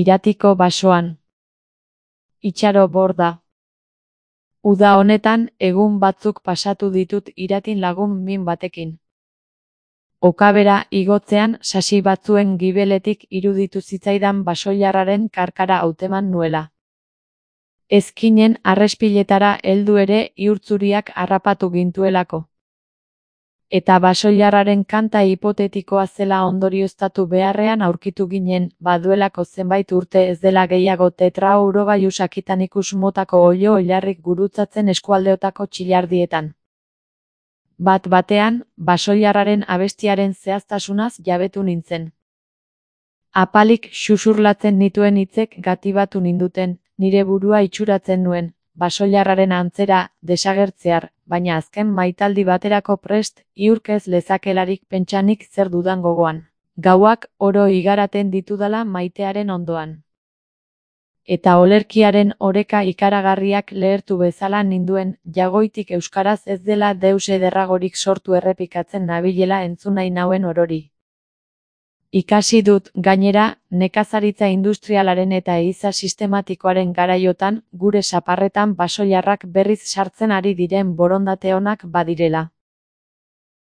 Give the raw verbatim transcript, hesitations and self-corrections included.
Iratiko basoan. Itxaro borda. Uda honetan, egun batzuk pasatu ditut Iratin lagun min batekin. Okabera igotzean sasi batzuen gibeletik iruditu zitzaidan basoilarraren karkara hauteman nuela. Ezkinen arrespiletara heldu ere ihurtzuriak harrapatu gintuelako. Eta basoilarraren kanta hipotetikoa zela ondorioztatu beharrean aurkitu ginen, baduelako zenbait urte ez dela gehiago tetraurogailu sakitanikus motako oilo-oilarrik gurutzatzen eskualdeotako txilardietan. Bat batean, basoilarraren abestiaren zehaztasunaz jabetu nintzen. Apalik xuxurlatzen nituen hitzek gatibatu ninduten, nire burua itxuratzen nuen, basoilarraren antzera, desagertzear, baina azken maitaldi baterako prest, iurkez lezakelarik pentsanik zer dudan gogoan. Gauak oro igaraten ditudala maitearen ondoan. Eta olerkiaren oreka ikaragarriak lehertu bezala ninduen, jagoitik euskaraz ez dela deus ederragorik sortu errepikatzen nabilela entzun nahi nauen orori. Ikasi dut, gainera, nekazaritza industrialaren eta ehiza sistematikoaren garaiotan, gure saparretan basoilarrak berriz sartzen ari diren borondate onak badirela.